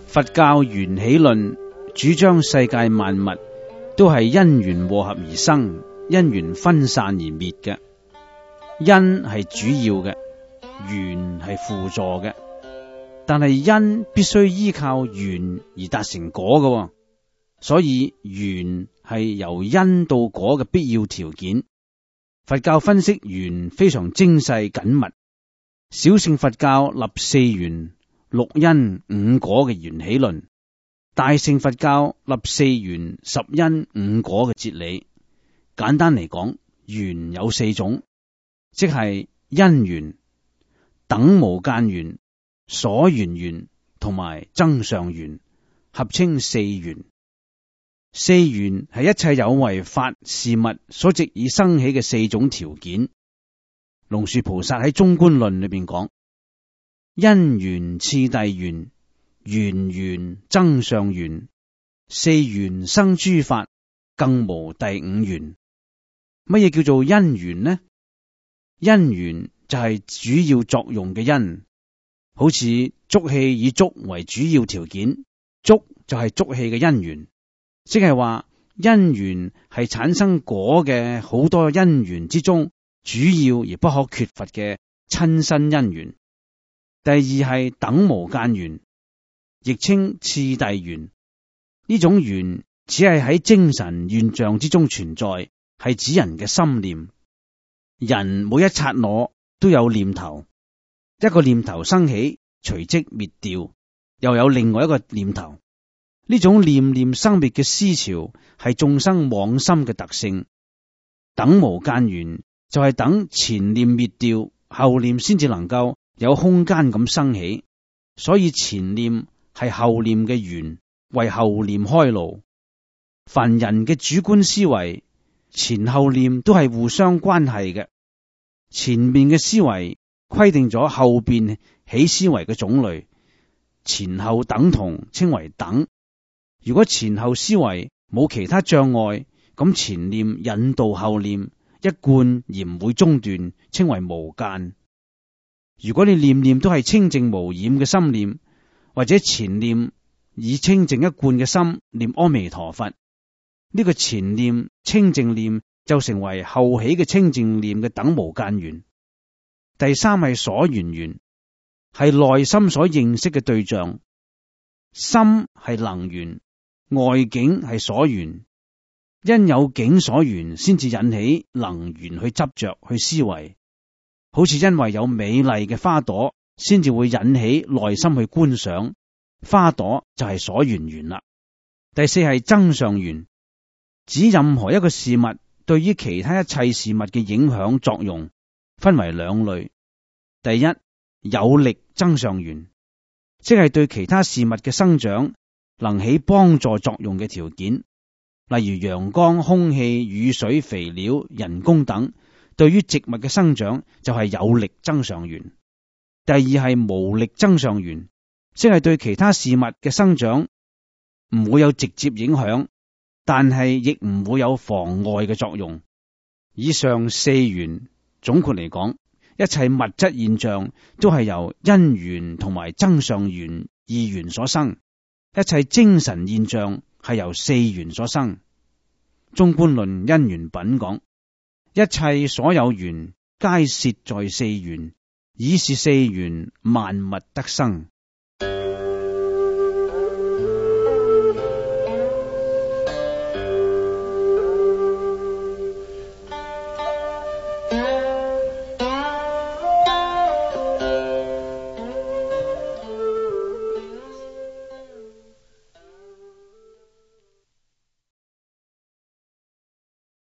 佛教緣起論主張世界萬物都係因緣和合而生，因緣分散而滅嘅。因係主要嘅，緣係輔助嘅。但係因必須依靠緣而達成果嘅，所以緣係由因到果嘅必要條件。佛教分析緣非常精細緊密。小乘佛教立四緣、六因、五果嘅緣起論，大乘佛教立四緣、十因、五果嘅哲理。簡單嚟講，緣有四種，即係因緣、等無間緣、所緣緣同埋增上緣，合稱四緣。四緣係一切有為法事物所藉以生起嘅四種條件。龍樹菩薩喺中觀論裏邊講：因緣次第緣，緣緣增上緣，四緣生諸法，更無第五緣。乜嘢叫做因緣呢？因緣就係主要作用嘅因，好似觸氣以觸為主要條件，觸就係觸氣嘅因緣，即係話因緣係產生果嘅好多因緣之中主要而不可缺乏嘅親身因緣。第二係等無間緣，亦稱次第緣。呢種緣只係喺精神現象之中存在，係指人嘅心念。人每一剎那都有念頭，一個念頭生起，隨即滅掉，又有另外一個念頭。呢種念念生滅嘅思潮係眾生妄心嘅特性。等無間緣就係等前念滅掉，後念先至能夠有空間咁生起，所以前念係後念嘅緣，為後念開路。凡人嘅主觀思維，前後念都係互相關係嘅。前面嘅思維規定咗後邊起思維嘅種類，前後等同稱為等。如果前後思維冇其他障礙，咁前念引導後念一貫而唔會中斷，稱為無間。如果你念念都係清淨無染嘅心念，或者前念以清淨一貫嘅心念阿彌陀佛，呢個前念清淨念就成為後起嘅清淨念嘅等無間緣。第三係所緣緣，係內心所認識嘅對象，心係能緣，外境係所緣。因有境所緣，先至引起能緣去執着去思維。好似因為有美麗嘅花朵，先至會引起內心去觀賞，花朵就係所緣緣啦。第四係增上緣，指任何一個事物對於其他一切事物嘅影響作用，分為兩類。第一，有力增上緣，即係對其他事物嘅生長能起幫助作用嘅條件，例如陽光、空氣、雨水、肥料、人工等，對於植物嘅生長就係有力增上緣。第二係無力增上緣，即係對其他事物嘅生長唔會有直接影響，但係亦唔會有妨礙嘅作用。以上四緣總括嚟講，一切物質現象都係由因緣同埋增上緣二緣所生，一切精神現象係由四緣所生。中觀論因緣品講，一切所有緣皆攝在四緣，以是四緣萬物得生。